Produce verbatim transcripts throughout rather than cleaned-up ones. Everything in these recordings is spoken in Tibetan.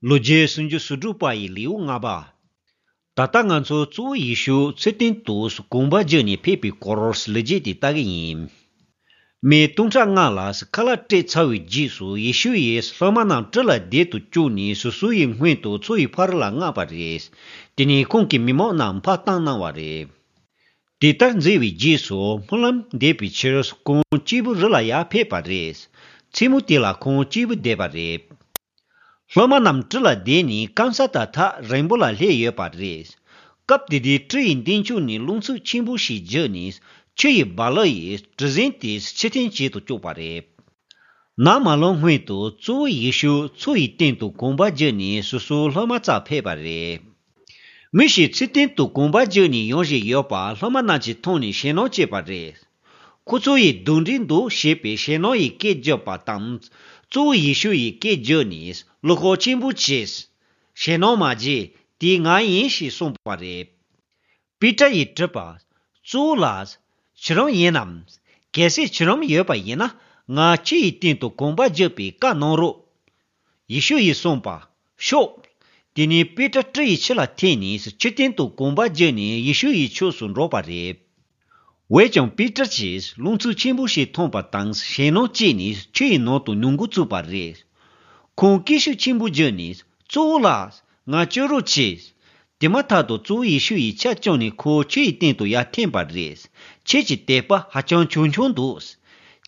ལོ་རྒྱུས་སུམ་ཅུ་སོ་དྲུག་པ་ཡི་ལེའུ་ལྔ་པ། ད་ལྟ་ང་ཚོ་གཙོ་བོ་ཡེ་ཤུ་ཚུལ་བསྟན་དུ་དགོངས་པ་བརྗོད་ནས་ཕེབས་པའི་སྐོར་ལོ་རྒྱུས་དེ་ལྟ་གི་ཡིན། མི་སྟོང་ཕྲག་ལྔ་ལ་ཁ་ལག་སྤྲད་ཚར་བའི་རྗེས་སུ་ཡེ་ཤུ་ཡིས་སློབ་མ་རྣམས་གྲལ་ལ་བསྡད་དུ་བཅུག་ནས་སོ་སོ་ཡི་སྔོན་དུ་མཚོ་ཡི་ཕར་ལ་མངགས་པ་རེད། དེ་ནས་ཁོང་གིས་མི་མང་རྣམས་ཕར་བཏང་གནང་བ་རེད། དེ་ལྟར་མཛད་པའི་རྗེས་སུ་སྨོན་ལམ་འདེབས་པའི་ཕྱིར་ཁོང་གཅིག་པུ་རི་ལ་ཡར་ཕེབས་པ་རེད། མཚན་མོ་དེ་ལ་ཁོང་གཅིག་པུ་བསྡད་པ་རེད། སློབ་མ་རྣམས་གྲལ་ལ་བསྡད་ནས་སྐམ་ས་དང་ཐག་རིང་པོ་ལ་སླེབས་ཡོད་པ་རེད། སྐབས་དེ་དུས་གྲུ་ཡི་མདུན་ཕྱོགས་ནས་རླུང་འཚུབ་ཆེན་པོ་ཞིག་རྒྱུག་ནས་ཆུ་ཡི་རྦ་རླབས་ཡིས་གྲུ་གཟིངས་དེ་ཕྱིར་འཐེན་བྱེད་དུ་བཅུག་པ་རེད། ནམ་མ་ལངས་སྔོན་དུ་གཙོ་བོ་ཡེ་ཤུ་མཚོ་ཡི་སྟེང་དུ་དགོངས་པ་བརྗོད་ནས་སོ་སོའི་སློབ་མ་རྩར་ཕེབས་པ་རེད། མི་ཞིག་ཚུལ་བསྟན་དུ་དགོངས་པ་བརྗོད་ནས་ཡོང་བཞིན་ཡོད་པ་སློབ་མ་རྣམས་ཀྱིས་མཐོང་ནས་ཞེད་སྣང་སྐྱེས་པ་རེད། ཁོ་ཚོ་ཡིས་གདོན་འདྲེ་འདུག་ཞེས་པའི་ཞེད་སྣང་ཡི་སྐད་བརྗོད་པ་དང་། གཙོ་བོ་ཡེ་ཤུ་ཡི་སྐད་བརྗོད་ནས་བློ་ཁོག་ཆེན་པོ་བྱས། ཞེད་སྣང་མ་བྱེད། དེ་ང་ཡིན་ཞེས་གསུངས་པ་རེད། པེ་ཏྲ་ཡིས་དྲིས་པ། གཙོ་བོ་ལགས། ཁྱེད་རང་ཡིན་ནམ། གལ་སྲིད་ཁྱེད་རང་ཡོད་པ་ཡིན་ན་ང་ཆུ་ཡི་སྟེང་དུ་དགོངས་པ་བརྗོད་པའི་བཀའ་གནང་རོགས། ཡེ་ཤུ་ཡིས་གསུངས་པ། ཤོག་དེ་ནས་པེ་ཏྲ་གྲུ་ཡི་ཕྱི་ལ་འཐེན་ནས་ཆུ་སྟེང་དུ་དགོངས་པ་བརྗོད་ནས་ཡེ་ཤུ་ཡི་ཕྱོགས་སུ་འགྲོ་བ་རེད། འོན་ཀྱང་པེ་ཏྲ་གྱིས་རླུང་འཚུབ་ཆེན་པོ་ཞིག་མཐོང་པ་དང་ཞེད་སྣང་སྐྱེས་ནས་ཆུ་ཡི་ནང་དུ་མྱོང་འགོ་བཙུགས་པ་རེད། ཁོང་སྐད་ཤུགས་ཆེན་པོ་བརྗོད་ནས་གཙོ་བོ་ལགས། ང་སྐྱོབ་རོགས་བྱེད། དེ་མ་ཐག་ཏུ་གཙོ་བོ་ཡེ་ཤུ་ཡིས་ཆ་བཅངས་ནས་ཁོ་ཆུ་ཡི་སྟེང་དུ་ཡར་འཐེན་པ་རེད། ཁྱེད་ཀྱི་དད་པ་ཧ་ཅང་ཆུང་ཆུང་འདུག་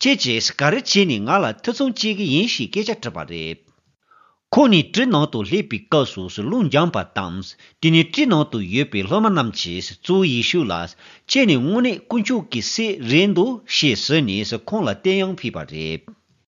ཁྱེད་ཀྱིས་ག་རེ་བྱས་ནས་ང་ལ་ཐེ་ཚོམ་སྐྱེ་གི་ཡིན་ཞེས་སྐད་ཆ་དྲིས་པ་རེད། ཁོང་ནི་གྲུ་ནང་དུ་སླེབས་པའི་སྐབས་སུ་རླུང་འཇམ་པ་དང་། དེ་ནས་གྲུ་ནང་དུ་ཡོད་པའི་སློབ་མ་རྣམས་ཀྱིས་གཙོ་བོ་ཡེ་ཤུ་ལ། ཁྱེད་ནི་དངོས་གནས་དཀོན་མཆོག་གི་སྲས་རེད་འདུག་ཞེས་ཟེར་ནས་ཁོང་ལ་བསྟོད་དབྱངས་ཕུལ་བ་རེད།